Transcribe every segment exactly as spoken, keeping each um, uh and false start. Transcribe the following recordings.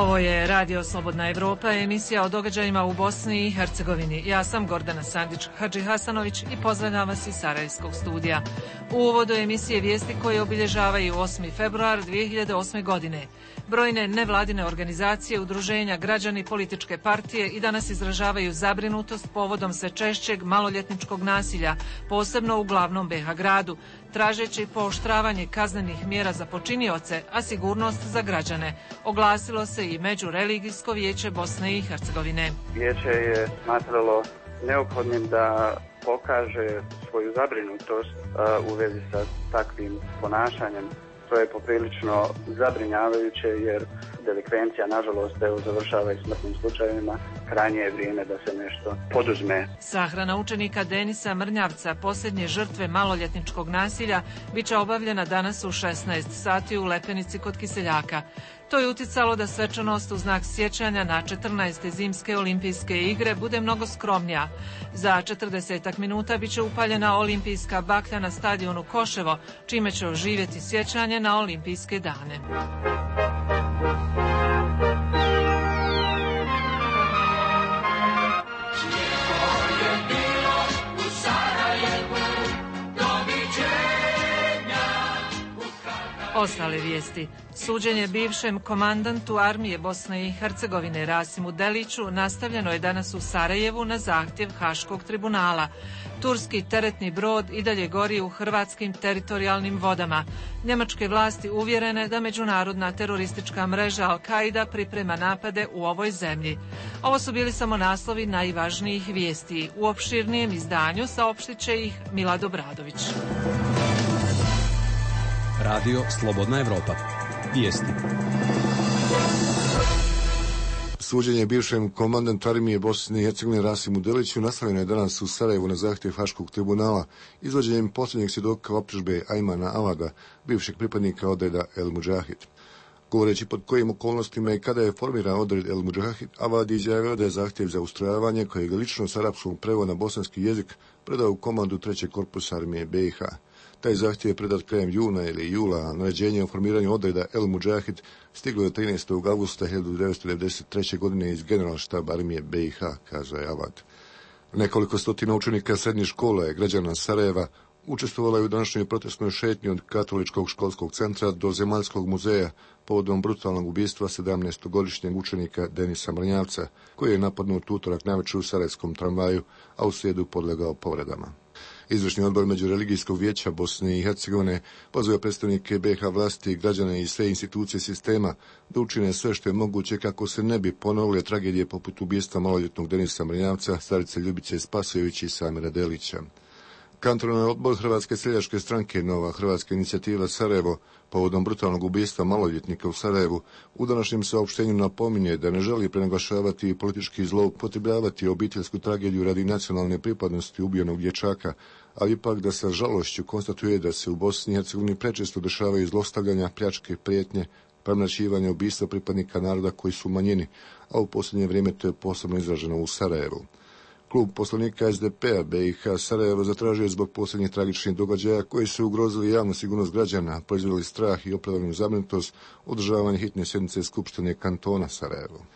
Ovo je Radio Slobodna Evropa, emisija o događajima u Bosni i Hercegovini. Ja sam Gordana Sandić-Hadžihasanović i pozdravljam vas iz Sarajevskog studija. U uvodu emisije vijesti koje obilježavaju osmi februar dvije hiljade osme. godine. Brojne nevladine organizacije, udruženja, građani, političke partije i danas izražavaju zabrinutost povodom sve češćeg maloljetničkog nasilja, posebno u glavnom be ha gradu, tražeći pooštravanje kaznenih mjera za počinioce, a sigurnost za građane. Oglasilo se i Međureligijsko vijeće Bosne i Hercegovine. Vijeće je smatralo neophodnim da pokaže svoju zabrinutost uh, u vezi sa takvim ponašanjem. To je poprilično zabrinjavajuće jer delikvencija, nažalost, evo, završava i smrtnim slučajevima. Krajnje je vrijeme da se nešto poduzme. Sahrana učenika Denisa Mrnjavca, posljednje žrtve maloljetničkog nasilja, bit će obavljena danas u šesnaest sati u Lepenici kod Kiseljaka. To je uticalo da svečanost u znak sjećanja na četrnaeste zimske olimpijske igre bude mnogo skromnija. Za četrdesetak minuta bit će upaljena olimpijska baklja na stadionu Koševo, čime će oživjeti sjećanje na olimpijske dane. Ostale vijesti. Suđenje bivšem komandantu armije Bosne i Hercegovine Rasimu Deliću nastavljeno je danas u Sarajevu na zahtjev Haškog tribunala. Turski teretni brod i dalje gori u hrvatskim teritorijalnim vodama. Njemačke vlasti uvjerene da međunarodna teroristička mreža Al-Kaida priprema napade u ovoj zemlji. Ovo su bili samo naslovi najvažnijih vijesti. U opširnijem izdanju saopštit će ih Milad Obradović. Radio Slobodna Evropa. Vijesti. Suđenje bivšem komandantu armije Bosne i Hercegovine Rasimu Deliću nastavljeno je danas u Sarajevu na zahtjev Haškog tribunala izvođenjem posljednjeg svjedoka optužbe Ajmana Avada, bivšeg pripadnika odreda El Mudžahid. Govoreći pod kojim okolnostima i kada je formiran odred El Mudžahid, Avad izjavio da je zahtjev za ustrojavanje kojeg je lično s arapskog prevod na bosanski jezik predao u komandu trećeg korpusa armije be i ha. Taj zahtjev je predat krajem juna ili jula, a naređenje o formiranju odreda El Mudžahid stiglo je trinaestog avgusta hiljadu devetsto devedeset treće. godine iz generalštaba armije be i ha, kaže Avad. Nekoliko stotina učenika srednjih škola je građana Sarajeva učestvovala je u današnjoj protestnoj šetnji od Katoličkog školskog centra do Zemaljskog muzeja povodom brutalnog ubistva sedamnaestogodišnjeg učenika Denisa Mrnjavca, koji je napadnut utorak navečer u sarajevskom tramvaju, a u srijedu podlegao povredama. Izvršni odbor Međureligijskog vijeća Bosne i Hercegovine pozvao predstavnike be ha vlasti, građane i sve institucije sistema da učine sve što je moguće kako se ne bi ponovile tragedije poput ubistva maloljetnog Denisa Mrnjavca, starice Ljubice Spasojević i Samira Delića. Kantonalni odbor Hrvatske seljačke stranke Nova Hrvatska inicijativa Sarajevo povodom brutalnog ubistva maloljetnika u Sarajevu u današnjem saopštenju napominje da ne želi prenaglašavati i politički zloupotrebljavati obiteljsku tragediju radi nacionalne pripadnosti ubijenog dječaka, ali ipak da sa žalošću konstatuje da se u Bosni i Hercegovini prečesto dešavaju zlostavljanja, pljačke, prijetnje, premlaćivanja, ubistva pripadnika naroda koji su u manjini, a u posljednje vrijeme to je posebno izraženo u Sarajevu. Klub poslanika es de pe a be i ha Sarajevo zatražio zbog posljednjih tragičnih događaja koji su ugrozili javnu sigurnost građana, proizveli strah i opravdanu zabrinutost, održavanje hitne sjednice Skupštine kantona Sarajevo.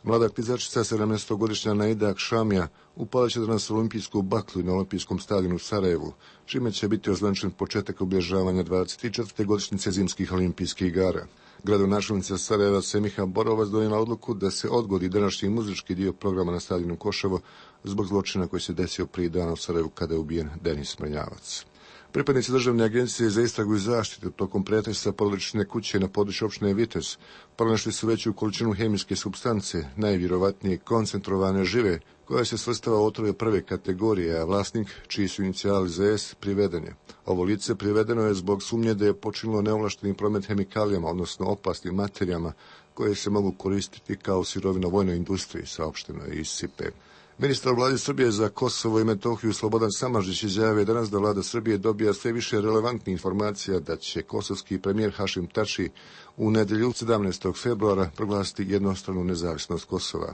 Mlada klizačica sedamnaestogodišnja Naida Akšamija upalit će danas olimpijsku baklu na olimpijskom stadionu u Sarajevu, čime će biti ozvančen početak obilježavanja dvadeset četvrte godišnjice zimskih olimpijskih igara. Gradonačelnica Sarajeva Semiha Borovac donijela odluku da se odgodi današnji muzički dio programa na stadionu Koševo zbog zločina koji se desio prije dana u Sarajevu kada je ubijen Denis Mrnjavac. Pripadnici Državne agencije za istragu i zaštitu tokom pretresa porodične kuće na području općine Vitez pronašli su veću količinu hemijske supstance, najvjerovatnije koncentrovane žive, koja se svrstava u otrove prve kategorije, a vlasnik, čiji su inicijali ze es, priveden je. Ovo lice privedeno je zbog sumnje da je počinilo neovlašteni promet hemikalijama, odnosno opasnim materijama, koje se mogu koristiti kao sirovina vojnoj industriji, saopšteno je iz SIPE. Ministar vlade Srbije za Kosovo i Metohiju Slobodan Samardžić izjavio danas da vlada Srbije dobija sve više relevantnih informacija da će kosovski premijer Hašim Tači u nedjelju sedamnaestog februara proglasiti jednostranu nezavisnost Kosova.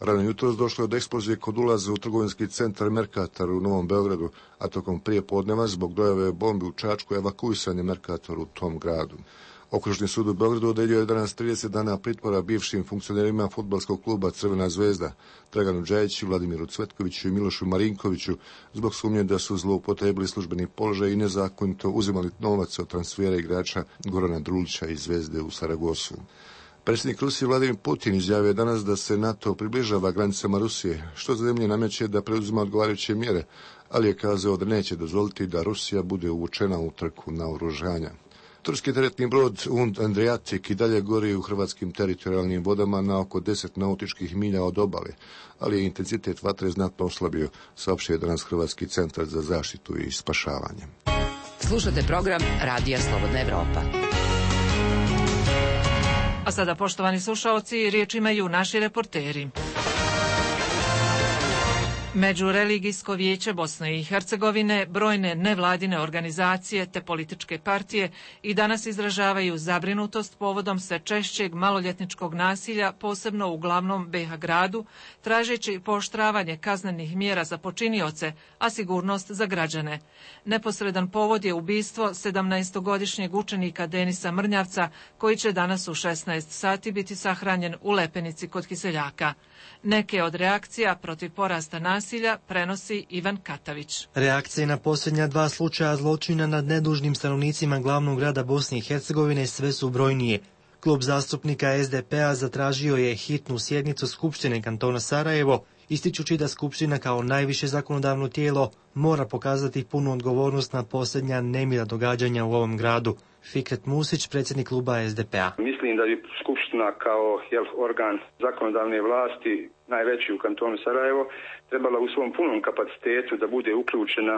Rano jutros došlo je do eksplozije kod ulaza u trgovinski centar Merkator u Novom Beogradu, a tokom prije podneva zbog dojave bombi u Čačku evakuisan je Merkator u tom gradu. Okružni sud u Beogradu odredio je danas trideset dana pritvora bivšim funkcionerima fudbalskog kluba Crvena zvezda, Draganu Džajiću, Vladimiru Cvetkoviću i Milošu Marinkoviću zbog sumnje da su zloupotrebili službeni položaj i nezakonito uzimali novac od transfera igrača Gorana Drulića iz Zvezde u Saragosu. Predsjednik Rusije Vladimir Putin izjavio danas da se NATO približava granicama Rusije, što zemlje nameće da preuzima odgovarajuće mjere, ali je kazao da neće dozvoliti da Rusija bude uvučena u trku naoružanja. Turski teretni brod Und Adriatic i dalje gori u hrvatskim teritorijalnim vodama na oko deset nautičkih milja od obale, ali je intenzitet vatre znatno oslabio, saopštio je danas Hrvatski centar za zaštitu i spašavanje. Slušate program Radija Slobodna Evropa. A sada, poštovani slušaoci, riječ imaju naši reporteri. Međureligijsko vijeće Bosne i Hercegovine, brojne nevladine organizacije te političke partije i danas izražavaju zabrinutost povodom sve češćeg maloljetničkog nasilja, posebno u glavnom be ha gradu, tražeći pooštravanje kaznenih mjera za počinioce, a sigurnost za građane. Neposredan povod je ubistvo sedamnaestogodišnjeg učenika Denisa Mrnjavca, koji će danas u šesnaest sati biti sahranjen u Lepenici kod Kiseljaka. Neke od reakcija protiv porasta nasilja prenosi Ivan Katavić. Reakcije na posljednja dva slučaja zločina nad nedužnim stanovnicima glavnog grada Bosne i Hercegovine sve su brojnije. Klub zastupnika es de pe a zatražio je hitnu sjednicu Skupštine kantona Sarajevo, ističući da Skupština kao najviše zakonodavno tijelo mora pokazati punu odgovornost na posljednja nemila događanja u ovom gradu. Fikret Musić, predsjednik kluba es de pe a. Mislim da bi Skupština kao jel, organ zakonodavne vlasti, najveći u kantonu Sarajevo, trebala u svom punom kapacitetu da bude uključena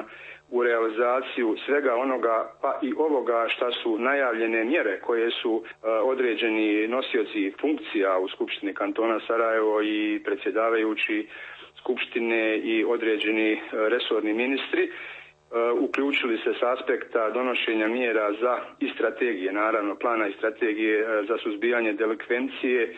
u realizaciju svega onoga, pa i ovoga šta su najavljene mjere koje su uh, određeni nosioci funkcija u Skupštini kantona Sarajevo i predsjedavajući Skupštine i određeni uh, resorni ministri uključili se s aspekta donošenja mjera za i strategije, naravno plana i strategije za suzbijanje delikvencije,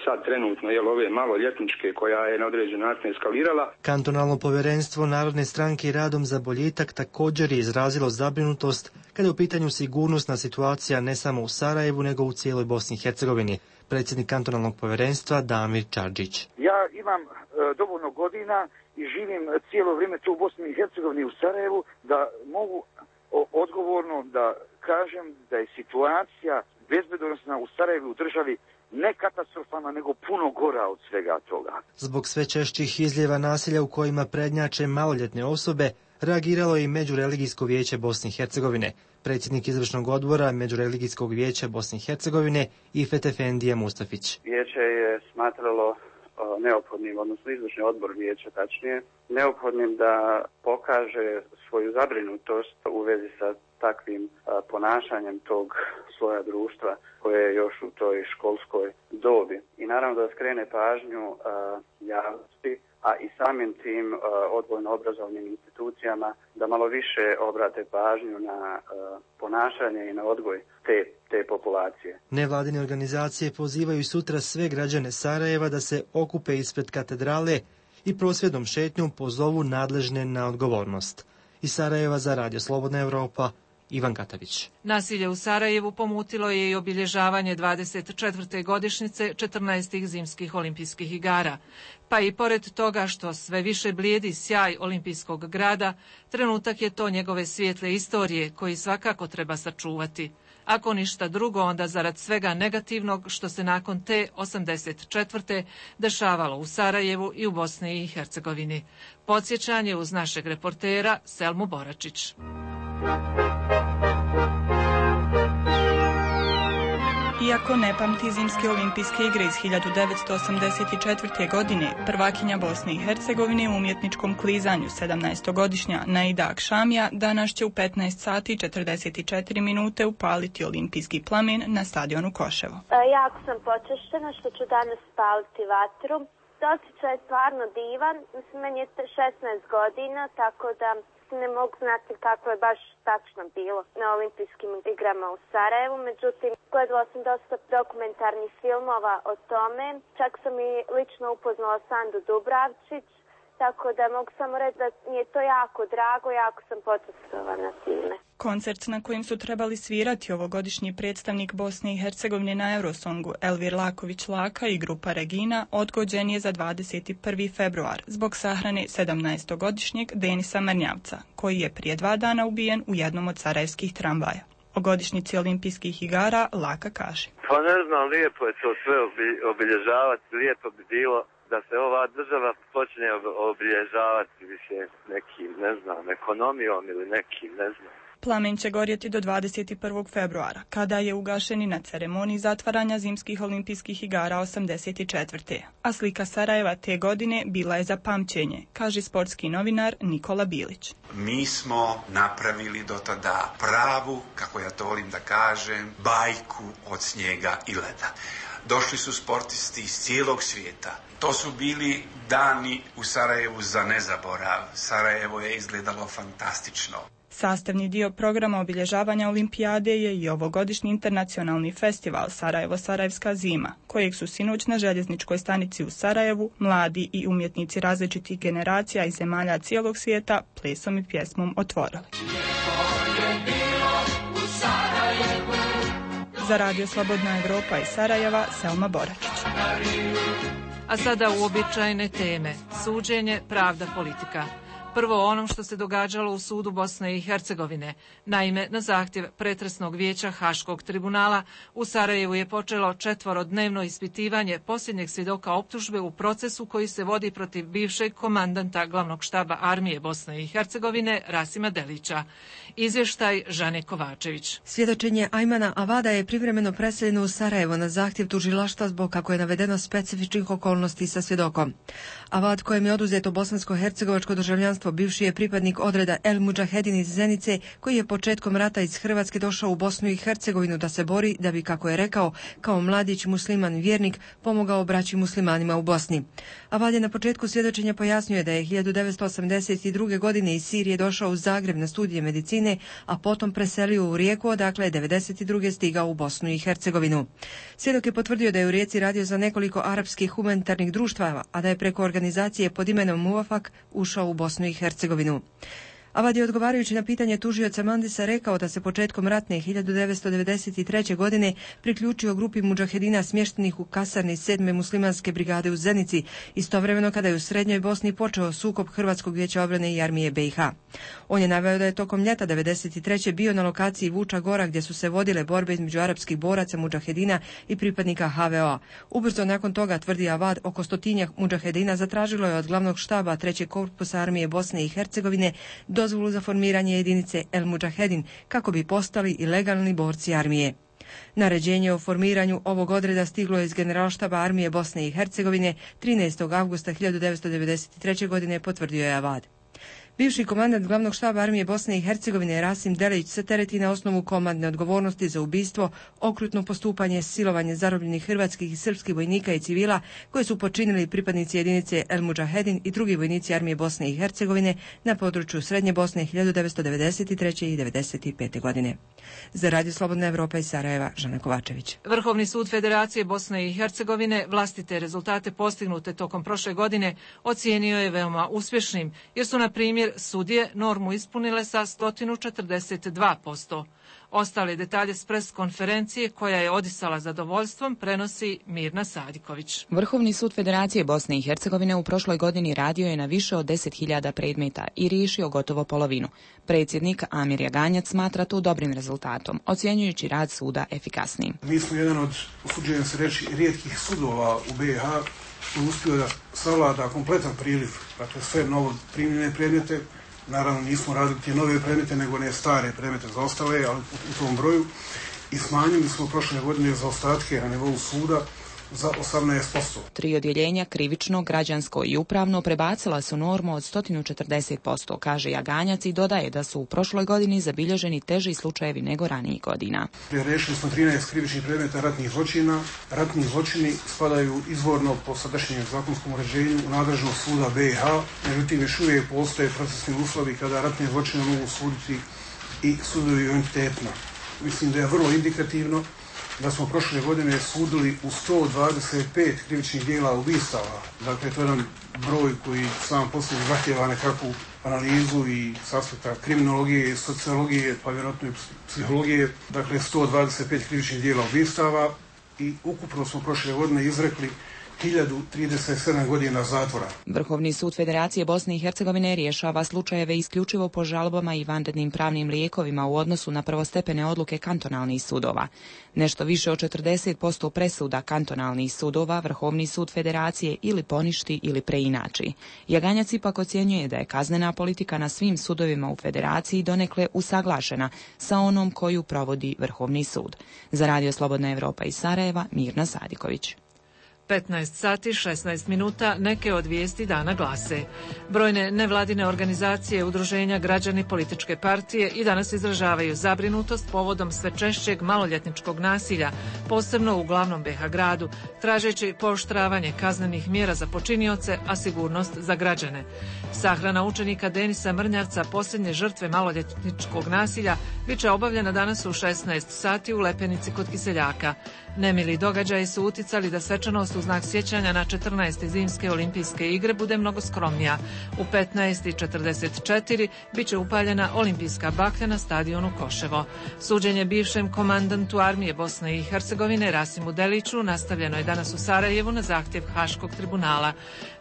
sad trenutno je ove maloljetničke koja je na određen način eskalirala. Kantonalno povjerenstvo Narodne stranke i Radom za boljitak također je izrazilo zabrinutost kada je u pitanju sigurnosna situacija ne samo u Sarajevu nego u cijeloj Bosni i Hercegovini. Predsjednik kantonalnog povjerenstva Damir Čarđić. Ja imam e, dovoljno godina i živim cijelo vrijeme tu u Bosni i Hercegovini u Sarajevu da mogu o, odgovorno da kažem da je situacija bezbednosna u Sarajevu u državi ne katastrofalna, nego puno gora od svega toga. Zbog sve češćih izljeva nasilja u kojima prednjače maloljetne osobe, reagiralo je i Međureligijsko vijeće Bosne i Hercegovine. Predsjednik izvršnog odbora Međureligijskog vijeća Bosne i Hercegovine Ifet Efendija Mustafić. Vijeće je smatralo neophodnim, odnosno izvršni odbor vijeća tačnije, neophodnim da pokaže svoju zabrinutost u vezi sa takvim a, ponašanjem tog sloja društva koje je još u toj školskoj dobi. I naravno da skrene pažnju a, javnosti, a i samim tim a, odgojno-obrazovnim institucijama da malo više obrate pažnju na a, ponašanje i na odgoj te, te populacije. Nevladine organizacije pozivaju sutra sve građane Sarajeva da se okupe ispred katedrale i prosvjednom šetnjom pozovu nadležne na odgovornost. Iz Sarajeva za Radio Slobodna Evropa, Ivan Katavić. Nasilje u Sarajevu pomutilo je i obilježavanje dvadeset četvrte godišnjice četrnaestih zimskih olimpijskih igara. Pa i pored toga što sve više blijedi sjaj olimpijskog grada, trenutak je to njegove svijetle istorije koji svakako treba sačuvati. Ako ništa drugo, onda zarad svega negativnog što se nakon te osamdeset četvrte dešavalo u Sarajevu i u Bosni i Hercegovini. Podsjećanje uz našeg reportera Selmu Boračić. Iako ne pamti zimske olimpijske igre iz hiljadu devetsto osamdeset četvrte. godine, prvakinja Bosne i Hercegovine u umjetničkom klizanju sedamnaestogodišnja Naida Akšamija danas će u petnaest sati i četrdeset četiri minute upaliti olimpijski plamen na stadionu Koševo. Jako sam počešćena što ću danas spaliti vatru. Osjećaj je stvarno divan. Mislim, meni je šesnaest godina, tako da ne mogu znati kako je baš tačno bilo na olimpijskim igrama u Sarajevu. Međutim, gledala sam dosta dokumentarnih filmova o tome. Čak sam i lično upoznala Sandu Dubravčić, tako da mogu samo reći da mi je to jako drago, jako sam počastvovana time. Koncert na kojim su trebali svirati ovogodišnji predstavnik Bosne i Hercegovine na Eurosongu Elvir Laković Laka i grupa Regina odgođen je za dvadeset prvi februar zbog sahrane sedamnaestogodišnjeg Denisa Mrnjavca, koji je prije dva dana ubijen u jednom od sarajevskih tramvaja. O godišnjici olimpijskih igara Laka kaže. Pa ne znam, lijepo je to sve obilježavati, lijepo bi bilo da se ova država počne obilježavati više nekim, ne znam, ekonomijom ili nekim, ne znam. Plamen će gorjeti do dvadeset prvog februara, kada je ugašen i na ceremoniji zatvaranja zimskih olimpijskih igara osamdeset četvrte. A slika Sarajeva te godine bila je za pamćenje, kaže sportski novinar Nikola Bilić. Mi smo napravili do tada pravu, kako ja to volim da kažem, bajku od snijega i leda. Došli su sportisti iz cijelog svijeta. To su bili dani u Sarajevu za nezaborav. Sarajevo je izgledalo fantastično. Sastavni dio programa obilježavanja olimpijade je i ovogodišnji internacionalni festival Sarajevo-Sarajevska zima, kojeg su sinoć na željezničkoj stanici u Sarajevu mladi i umjetnici različitih generacija i zemalja cijelog svijeta plesom i pjesmom otvorili. Za Radio Slobodna Evropa iz Sarajeva, Selma Boračić. A sada uobičajene teme. Suđenje, pravda, politika. Prvo o onom što se događalo u sudu Bosne i Hercegovine. Naime, na zahtjev pretresnog vijeća Haškog tribunala u Sarajevu je počelo četvorodnevno ispitivanje posljednjeg svjedoka optužbe u procesu koji se vodi protiv bivšeg komandanta glavnog štaba armije Bosne i Hercegovine Rasima Delića. Izvještaj Žane Kovačević. Svjedočenje Ajmana Avada je privremeno preseljeno u Sarajevo na zahtjev tužilaštva zbog, kako je navedeno, specifičnih okolnosti sa svjedokom. Avad, kojem je oduzeto bosansko-hercegovačko državljanstvo, bivši je pripadnik odreda El Mudžahedin iz Zenice, koji je početkom rata iz Hrvatske došao u Bosnu i Hercegovinu da se bori, da bi, kako je rekao, kao mladić musliman vjernik pomogao braći muslimanima u Bosni. Avad je na početku svjedočenja pojasnio da je hiljadu devetsto osamdeset druge. godine iz Sirije došao u Zagreb na studije medicine, a potom preselio u Rijeku, odakle je devedeset druge. stigao u Bosnu i Hercegovinu. Svjedok je potvrdio da je u Rijeci radio za nekoliko arapskih humanitarnih društava, a da je preko organizacije pod imenom Muafak ušao u Bosnu i Hercegovinu. Avad je odgovarajući na pitanje tužioca Mandisa rekao da se početkom ratne hiljadu devetsto devedeset treće. godine priključio grupi mudžahedina smještenih u kasarni sedme muslimanske brigade u Zenici, istovremeno kada je u Srednjoj Bosni počeo sukob Hrvatskog vijeća obrane i armije B i H. On je naveo da je tokom ljeta devedeset treće. bio na lokaciji Vuča Gora gdje su se vodile borbe između arapskih boraca mudžahedina i pripadnika H V O-a. Ubrzo nakon toga, tvrdi Avad, oko stotinjak mudžahedina zatražilo je od glavnog štaba trećeg korpusa armije Bosne i Hercegovine dozvolu za formiranje jedinice El Mudžahedin kako bi postali i legalni borci armije. Naređenje o formiranju ovog odreda stiglo je iz generalštaba armije Bosne i Hercegovine trinaestog avgusta hiljadu devetsto devedeset treće. godine, potvrdio je Avad. Bivši komandant glavnog štaba armije Bosne i Hercegovine Rasim Delić se tereti na osnovu komandne odgovornosti za ubistvo, okrutno postupanje, silovanje zarobljenih hrvatskih i srpskih vojnika i civila koje su počinili pripadnici jedinice El Mudžahedin i drugi vojnici armije Bosne i Hercegovine na području Srednje Bosne hiljadu devetsto devedeset treće. i devedeset pete. godine. Za Radio Slobodna Evropa iz Sarajeva, Žana Kovačević. Vrhovni sud Federacije Bosne i Hercegovine vlastite rezultate postignute tokom prošle godine ocijenio je veoma uspješnim, jer su, na primjer, sudije normu ispunile sa sto četrdeset dva posto. Ostale detalje s pres konferencije, koja je odisala zadovoljstvom, prenosi Mirna Sadiković. Vrhovni sud Federacije Bosne i Hercegovine u prošloj godini radio je na više od deset hiljada predmeta i riješio gotovo polovinu. Predsjednik Amir Jaganjac smatra to dobrim rezultatom, ocjenjujući rad suda efikasnim. Mi smo jedan od, usuđujem se reći, rijetkih sudova u B i H koji uspio da savlada kompletan priliv, dakle sve novo primljene predmete. Naravno nismo radili te nove predmete, nego ne stare predmete zaostale, ali u tom broju. I smanjili smo prošle godine zaostatke na nivou suda za osamnaest posto. Tri odjeljenja, krivično, građansko i upravno, prebacila su normu od sto četrdeset posto, kaže Jaganjac, i dodaje da su u prošloj godini zabilježeni teži slučajevi nego ranijih godina. Rešili smo trinaest krivičnih predmeta ratnih zločina. Ratni zločini spadaju izvorno po sadašnjem zakonskom uređenju u nadležnost suda B i H, međutim još uvijek postoje procesni uslovi kada ratne zločine mogu suditi i sudovi entitetno. Mislim da je vrlo indikativno da smo prošle godine sudili u sto dvadeset pet krivičnih djela ubistava. Dakle, to je jedan broj koji sam posljednji zahtjeva nekakvu analizu i s aspekta kriminologije, sociologije, pa vjerojatno i psihologije, dakle sto dvadeset pet krivičnih djela ubistava i ukupno smo prošle godine izrekli hiljadu trideset sedam godina zatvora. Vrhovni sud Federacije Bosne i Hercegovine rješava slučajeve isključivo po žalbama i vanrednim pravnim lijekovima u odnosu na prvostepene odluke kantonalnih sudova. Nešto više od četrdeset posto presuda kantonalnih sudova Vrhovni sud Federacije ili poništi ili preinači. Jaganjac ipak ocjenjuje da je kaznena politika na svim sudovima u Federaciji donekle usaglašena sa onom koju provodi Vrhovni sud. Za Radio Slobodna Evropa iz Sarajeva, Mirna Sadiković. petnaest sati šesnaest minuta, neke od vijesti dana glase. Brojne nevladine organizacije, udruženja, građani, političke partije i danas izražavaju zabrinutost povodom sve češćeg maloljetničkog nasilja, posebno u glavnom be ha gradu, tražeći pooštravanje kaznenih mjera za počinioce, a sigurnost za građane. Sahrana učenika Denisa Mrnjavca, posljednje žrtve maloljetničkog nasilja, bit će obavljena danas u šesnaest sati u Lepenici kod Kiseljaka. Nemili događaji su uticali da svečanost u znak sjećanja na četrnaeste zimske olimpijske igre bude mnogo skromnija. U petnaest četrdeset četiri bit će upaljena olimpijska baklja na stadionu Koševo. Suđenje bivšem komandantu armije Bosne i Hercegovine Rasimu Deliću nastavljeno je danas u Sarajevu na zahtjev Haškog tribunala.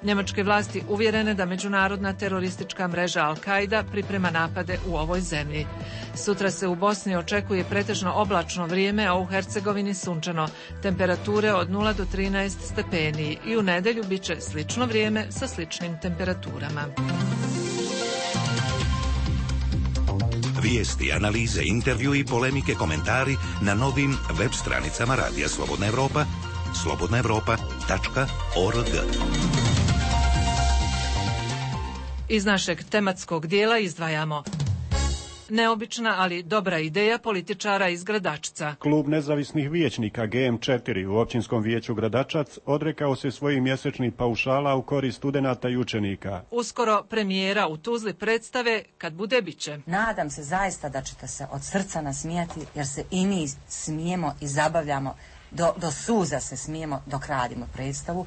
Njemačke vlasti uvjerene da međunarodna teroristička mreža Al-Qaida priprema napade u ovoj zemlji. Sutra se u Bosni očekuje pretežno oblačno vrijeme, a u Hercegovini sunčano. Temperature od nula do trinaest stepeni i u nedjelju bit će slično vrijeme sa sličnim temperaturama. Vijesti, analize, intervju i polemike, komentari na novim web stranicama Radija Slobodna Evropa, slobodna evropa tačka org. Iz našeg tematskog dijela izdvajamo: neobična, ali dobra ideja političara iz Gradačca. Klub nezavisnih vijećnika G M četiri u općinskom vijeću Gradačac odrekao se svojih mjesečnih paušala u korist studenata i učenika. Uskoro premijera u Tuzli predstave Kad bude biće. Nadam se zaista da ćete se od srca nasmijati, jer se i mi smijemo i zabavljamo, do, do suza se smijemo dok radimo predstavu.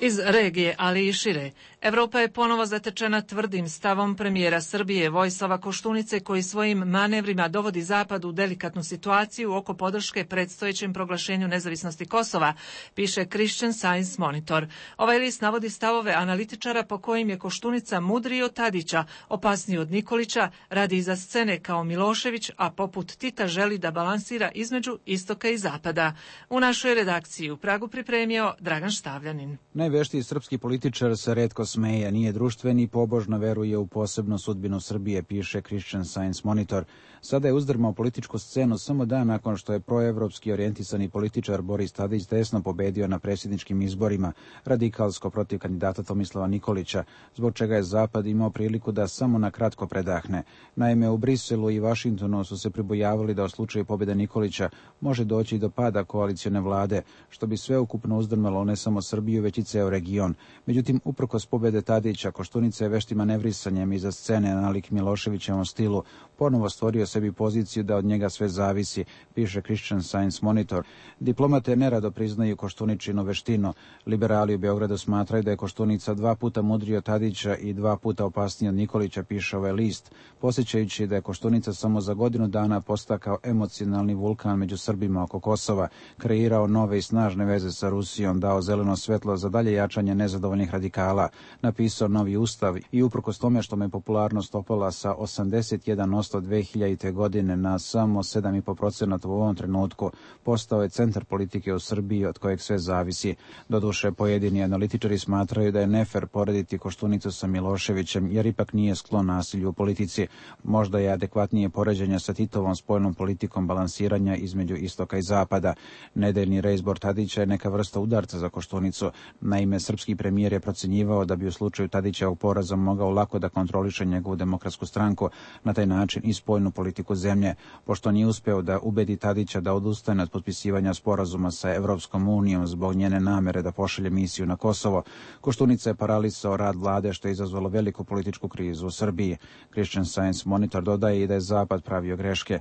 Iz regije, ali i šire, Evropa je ponovo zatečena tvrdim stavom premijera Srbije Vojislava Koštunice, koji svojim manevrima dovodi Zapad u delikatnu situaciju oko podrške predstojećem proglašenju nezavisnosti Kosova, piše Christian Science Monitor. Ovaj list navodi stavove analitičara po kojim je Koštunica mudriji od Tadića, opasniji od Nikolića, radi iza scene kao Milošević, a poput Tita želi da balansira između istoka i zapada. U našoj redakciji u Pragu pripremio Dragan Štavljanin. Najveštiji srpski političar se retko smeje, nije društven i pobožno veruje u posebnu sudbinu Srbije, piše Christian Science Monitor. Sada je uzdrmao političku scenu samo dan nakon što je proevropski orijentisani političar Boris Tadić desno pobedio na predsjedničkim izborima, radikalsko protiv kandidata Tomislava Nikolića, zbog čega je Zapad imao priliku da samo na kratko predahne. Naime, u Briselu i Vašingtonu su se pribojavali da u slučaju pobjede Nikolića može doći do pada koalicione vlade, što bi sveukupno uzdrmalo ne samo Srbiju, već i ceo region. Međutim, uprkos pobjede Tadića, Koštunica je veštim manevrisanjem iza scene nalik Miloševićevom stilu ponovo stvorio sebi poziciju da od njega sve zavisi, piše Christian Science Monitor. Diplomate nerado priznaju Koštuničinu veštinu. Liberali u Beogradu smatraju da je Koštunica dva puta mudriji od Tadića i dva puta opasniji od Nikolića, piše ovaj list, posjećajući da je Koštunica samo za godinu dana postao kao emocionalni vulkan među Srbima oko Kosova, kreirao nove i snažne veze sa Rusijom, dao zeleno svetlo za dalje jačanje nezadovoljnih radikala, napisao novi ustav i uprkos tome što me popularnost opala sa osamdeset jedan posto dve hiljadite. godine na samo sedam zarez pet procenata u ovom trenutku, postao je centar politike u Srbiji od kojeg sve zavisi. Doduše, pojedini analitičari smatraju da je nefer porediti Koštunicu sa Miloševićem, jer ipak nije sklon nasilju u politici. Možda je adekvatnije poređenje sa Titovom spoljnom politikom balansiranja između istoka i zapada. Nedeljni reizbor Tadića je neka vrsta udarca za Koštunicu. Naime, srpski premijer je procenjivao da bi u slučaju Tadićevog poraza mogao lako da kontroliše njegovu demokratsku stranku, na taj način i spoljnu politiku zemlje. Pošto nije uspeo da ubedi Tadića da odustane od potpisivanja sporazuma sa Evropskom unijom zbog njene namere da pošalje misiju na Kosovo, Koštunica je paralisao rad vlade, što je izazvalo veliku političku krizu u Srbiji. Christian Science Monitor dodaje i da je Zapad pravio greške.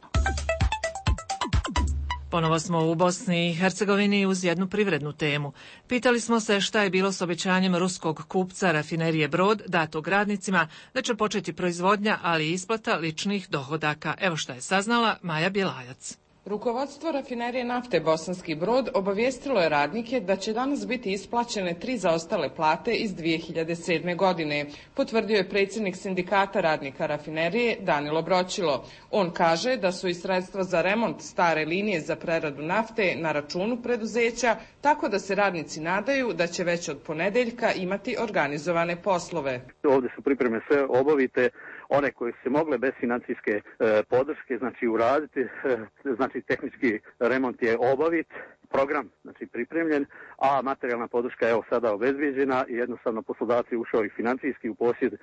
Ponovo smo u Bosni i Hercegovini uz jednu privrednu temu. Pitali smo se šta je bilo s obećanjem ruskog kupca rafinerije Brod datog radnicima da će početi proizvodnja, ali i isplata ličnih dohodaka. Evo šta je saznala Maja Bjelajac. Rukovodstvo rafinerije nafte Bosanski Brod obavijestilo je radnike da će danas biti isplaćene tri zaostale plate iz dvije hiljade sedme. godine, potvrdio je predsjednik sindikata radnika rafinerije Danilo Broćilo. On kaže da su i sredstva za remont stare linije za preradu nafte na računu preduzeća, tako da se radnici nadaju da će već od ponedeljka imati organizovane poslove. Ovdje su pripreme sve obavite, one koje su se mogle bez financijske e, podrške, znači uraditi, e, znači tehnički remont je obavit, program znači pripremljen, a materijalna podrška je evo sada obezbijeđena i jednostavno poslodavci ušao i financijski u posjed e,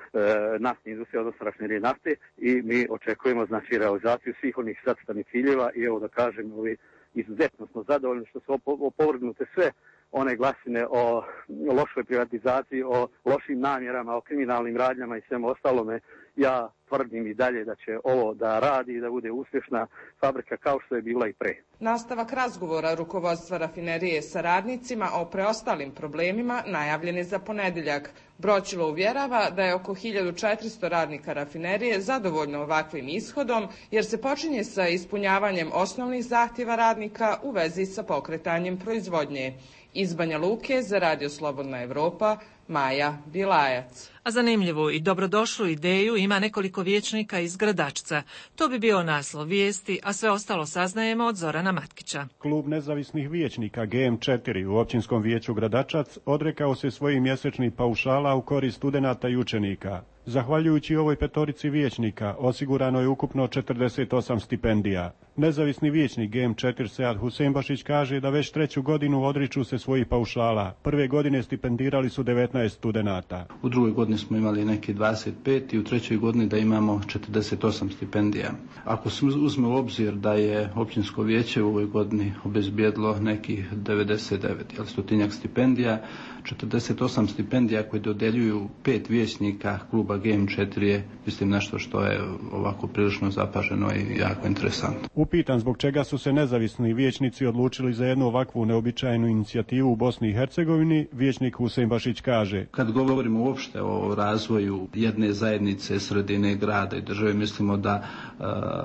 naftne industrije, odnosno rafinerije nafte i mi očekujemo znači realizaciju svih onih zacrtanih ciljeva i evo da kažem, ovi izuzetno smo zadovoljni što su opovrgnute sve one glasine o lošoj privatizaciji, o lošim namjerama, o kriminalnim radnjama i svemu ostalome. Ja tvrdim i dalje da će ovo da radi i da bude uspješna fabrika kao što je bila i pre. Nastavak razgovora rukovodstva rafinerije sa radnicima o preostalim problemima najavljen je za ponedeljak. Broćilo uvjerava da je oko hiljadu četiristo radnika rafinerije zadovoljno ovakvim ishodom, jer se počinje sa ispunjavanjem osnovnih zahtjeva radnika u vezi sa pokretanjem proizvodnje. Iz Banja Luke za Radio Slobodna Evropa, Maja Bjelajac. A zanimljivu i dobrodošlu ideju ima nekoliko vijećnika iz Gradačca. To bi bio naslov vijesti, a sve ostalo saznajemo od Zorana Matkića. Klub nezavisnih vijećnika G M četiri u općinskom vijeću Gradačac odrekao se svojih mjesečnih paušala u korist studenata i učenika. Zahvaljujući ovoj petorici vijećnika osigurano je ukupno četrdeset osam stipendija. Nezavisni vijećnik G M četiri Sead Huseimbašić kaže da već treću godinu odriču se svojih paušala. Prve godine stipendirali su devetnaest studenata. U drugoj godini smo imali neki dvadeset pet i u trećoj godini da imamo četrdeset osam stipendija. Ako se uzme u obzir da je općinsko vijeće u ovoj godini obezbijedilo nekih devedeset devet, jel, stotinjak stipendija, četrdeset osam stipendija koje dodeljuju pet vijećnika kluba G M četiri je, mislim, nešto što je ovako prilično zapaženo i jako interesantno. Upitan zbog čega su se nezavisni vijećnici odlučili za jednu ovakvu neobičajnu inicijativu u Bosni i Hercegovini, vijećnik Huseimbašić kaže: Kad govorimo uopšte o razvoju jedne zajednice, sredine, grada i države, mislimo da e,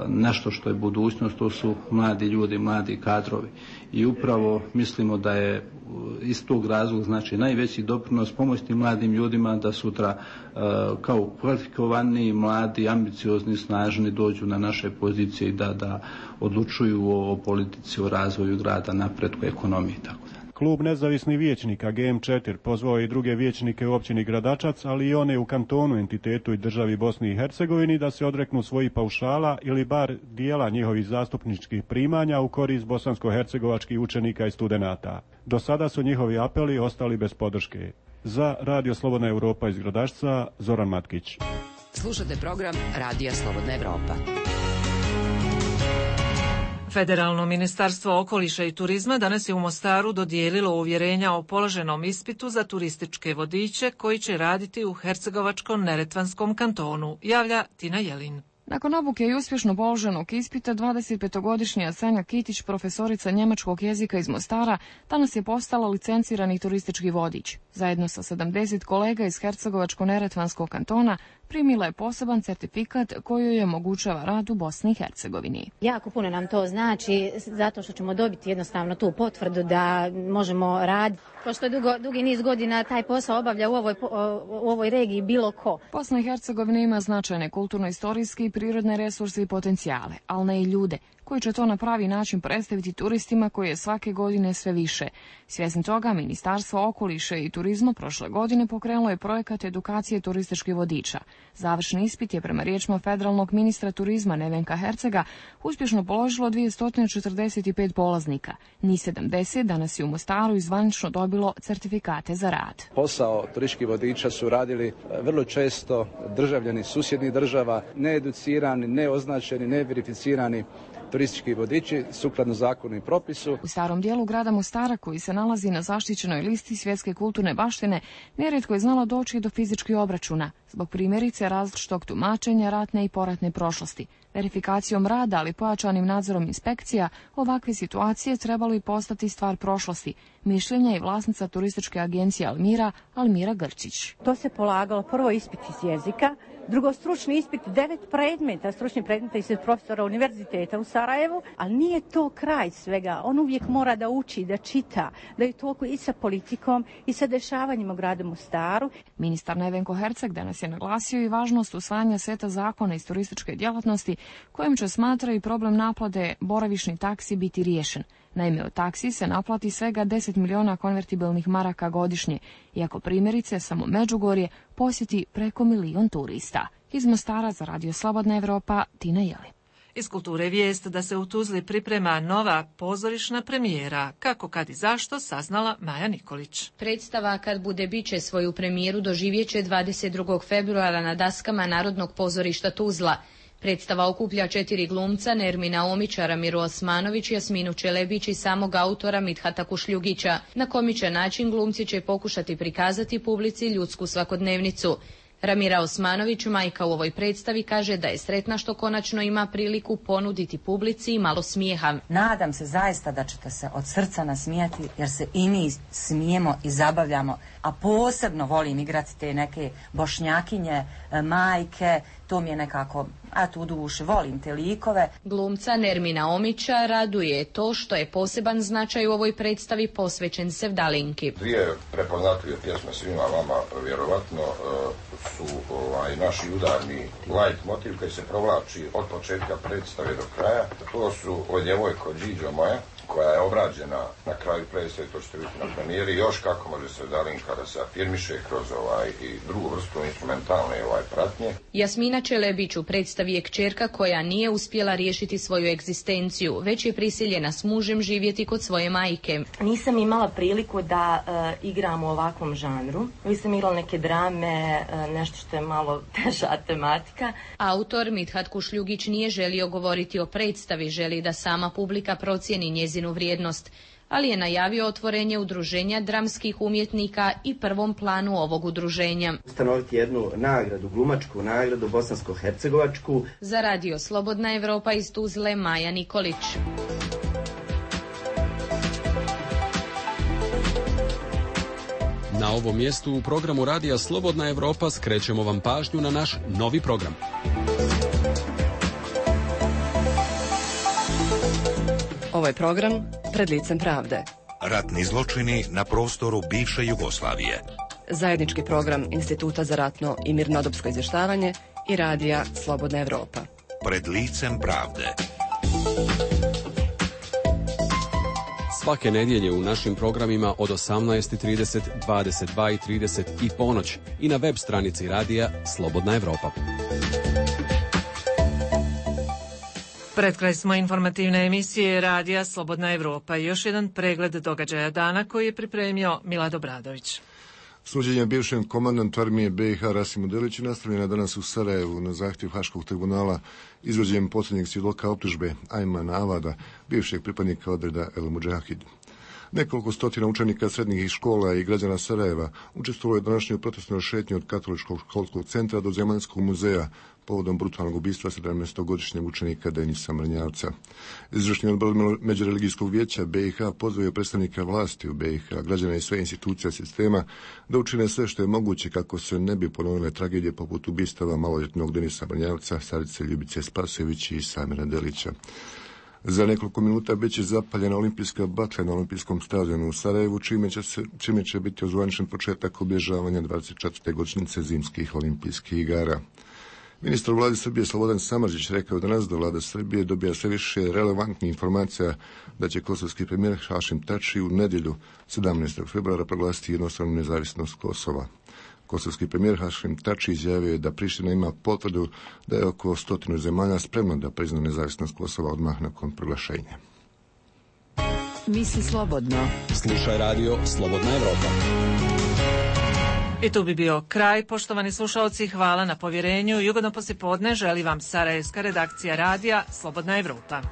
nešto što je budućnost, to su mladi ljudi, mladi kadrovi. I upravo mislimo da je iz tog razloga znači najveći doprinos pomoći mladim ljudima da sutra e, kao kvalifikovani, mladi, ambiciozni, snažni dođu na naše pozicije i da, da odlučuju o, o politici, o razvoju grada, napretku ekonomije i tako dalje. Klub nezavisnih vijećnika G M četiri pozvao i druge vijećnike u općini Gradačac, ali i one u kantonu, entitetu i državi Bosni i Hercegovini da se odreknu svojih paušala ili bar dijela njihovih zastupničkih primanja u korist bosansko-hercegovačkih učenika i studenata. Do sada su njihovi apeli ostali bez podrške. Za Radio Slobodna Evropa iz Gradačca, Zoran Matkić. Slušate program Radija Slobodna Evropa. Federalno ministarstvo okoliša i turizma danas je u Mostaru dodijelilo uvjerenja o položenom ispitu za turističke vodiče koji će raditi u Hercegovačko-neretvanskom kantonu, javlja Tina Jelin. Nakon obuke i uspješno položenog ispita, dvadesetpetogodišnja Sanja Kitić, profesorica njemačkog jezika iz Mostara, danas je postala licencirani turistički vodič. Zajedno sa sedamdeset kolega iz Hercegovačko-neretvanskog kantona primila je poseban certifikat koji joj omogućava rad u Bosni i Hercegovini. Jako puno nam to znači, zato što ćemo dobiti jednostavno tu potvrdu da možemo raditi. Pošto dugo, dugi niz godina taj posao obavlja u ovoj, u ovoj regiji bilo ko. Bosna i Hercegovina ima značajne kulturno-istorijske i prirodne resurse i potencijale, ali ne i ljude, koji će to na pravi način predstaviti turistima koji je svake godine sve više. Svjesni toga, Ministarstvo okoliša i turizma prošle godine pokrenulo je projekat edukacije turističkih vodiča. Završni ispit je prema riječima federalnog ministra turizma Nevenka Hercega uspješno položilo dvjesto četrdeset pet polaznika. Njih sedamdeset danas je u Mostaru i zvanično dobilo certifikate za rad. Posao turističkih vodiča su radili vrlo često državljani susjednih država, needucirani, neoznačeni, neverificirani turistički vodiči sukladno zakonu i propisu. U starom dijelu grada Mostara, koji se nalazi na zaštićenoj listi svjetske kulturne baštine, nerijetko je znalo doći do fizičkih obračuna, zbog primjerice različitog tumačenja ratne i poratne prošlosti. Verifikacijom rada, ali pojačanim nadzorom inspekcija, ovakve situacije trebalo i postati stvar prošlosti. Mišljenja je vlasnica turističke agencije Almira, Almira Grčić. To se polagalo prvo ispit iz jezika, drugo stručni ispit, devet predmeta, stručni predmeta iz profesora univerziteta u Sarajevu, ali nije to kraj svega. On uvijek mora da uči, da čita, da je toliko i sa politikom i sa dešavanjima u gradu Mostaru. Ministar Nevenko Herceg danas je naglasio i važnost usvajanja seta zakona iz turističke djelatnosti, kojim će, smatra, i problem naplate boravišnih taksi biti riješen. Naime, od taksi se naplati svega deset miliona konvertibilnih maraka godišnje, iako primjerice samo Međugorje posjeti preko milion turista. Iz Mostara za Radio Slobodna Evropa, Tina Jeli. Iz kulture vijest da se u Tuzli priprema nova pozorišna premijera. Kako, kad i zašto, saznala Maja Nikolić. Predstava Kad bude biće svoju premijeru doživjeće dvadeset drugog februara na daskama Narodnog pozorišta Tuzla. Predstava okuplja četiri glumca, Nermina Omića, Ramiru Osmanović, Jasminu Čelebić i samog autora Midhata Kušljugića. Na komičan način glumci će pokušati prikazati publici ljudsku svakodnevnicu. Ramira Osmanović, majka u ovoj predstavi, kaže da je sretna što konačno ima priliku ponuditi publici malo smijeha. Nadam se zaista da ćete se od srca nasmijati, jer se i mi smijemo i zabavljamo, a posebno volim igrati te neke bošnjakinje, majke, to mi je nekako, a tu duše, volim te likove. Glumca Nermina Omića raduje to što je poseban značaj u ovoj predstavi posvećen Sevdalinki. Dvije prepoznatljive pjesme svima vama vjerovatno su ovaj, naši udarni light motiv koji se provlači od početka predstave do kraja. To su O djevojko Điđo moja, koja je obrađena na kraju predstave, to ćete vidjeti na premijeri, još kako može Sevdalinka da se afirmiše kroz ovaj i drugu vrstu instrumentalne ovaj pratnje. Jasmina Čelebić u predstavi je kćerka koja nije uspjela riješiti svoju egzistenciju, već je prisiljena s mužem živjeti kod svoje majke. Nisam imala priliku da uh, igram u ovakvom žanru. Nisam igrala neke drame, uh, nešto što je malo teža tematika. Autor Midhat Kušljugić nije želio govoriti o predstavi, želi da sama publika procijeni njezinu vrijednost, ali je najavio otvorenje udruženja dramskih umjetnika i prvom planu ovog udruženja. Ustanoviti jednu nagradu, glumačku nagradu bosansko-hercegovačku. Za Radio Slobodna Evropa iz Tuzle, Maja Nikolić. Na ovom mjestu u programu Radija Slobodna Evropa skrećemo vam pažnju na naš novi program. Ovo je program Pred licem pravde. Ratni zločini na prostoru bivše Jugoslavije. Zajednički program Instituta za ratno i mirnodopsko izvještavanje i Radija Slobodna Evropa. Pred licem pravde. Svake nedjelje u našim programima od osamnaest i trideset, dvadeset dva i trideset i ponoć i na web stranici Radija Slobodna Evropa. Pred kraj smo informativne emisije Radija Slobodna Evropa i još jedan pregled događaja dana koji je pripremio Milad Obradović. Suđenje bivšem komandantu armije be i ha Rasimu Deliću nastavljena danas u Sarajevu na zahtjev Haškog tribunala izvođenjem posljednjeg svjedoka optužbe Ajmana Avada, bivšeg pripadnika odreda El Mudžahid. Nekoliko stotina učenika srednjih škola i građana Sarajeva učestvovalo je današnju protestnoj šetnji od Katoličkog školskog centra do Zemaljskog muzeja povodom brutalnog ubistva sedamnaestogodišnjeg učenika Denisa Mrnjavca. Izvršni odbor Međureligijskog vijeća be i ha pozvao predstavnika vlasti u be i ha, građana i sve institucija sistema da učine sve što je moguće kako se ne bi ponovile tragedije poput ubistava maloljetnog Denisa Mrnjavca, Sarice Ljubice Spasojević i Samira Delića. Za nekoliko minuta bit će zapaljena olimpijska baklja na olimpijskom stadionu u Sarajevu, čime će, se, čime će biti ozvaničen početak obilježavanja dvadeset četvrte godišnjice zimskih olimpijskih igara. Ministar u vladi Srbije Slobodan Samardžić rekao danas da vlada Srbije dobija sve više relevantnih informacija da će kosovski premijer Hašim Tači u nedjelju sedamnaestog februara proglasiti jednostranu nezavisnost Kosova. Kosovski premijer Hašim Tači izjavio je da Priština ima potvrdu da je oko stotinu zemalja spremno da prizna nezavisnost Kosova odmah nakon proglašenja. Misli slobodno. Slušaj Radio Slobodna Evropa. I tu bi bio kraj, poštovani slušalci, hvala na povjerenju. Ugodno poslijepodne želi vam sarajevska redakcija Radija Slobodna Evropa.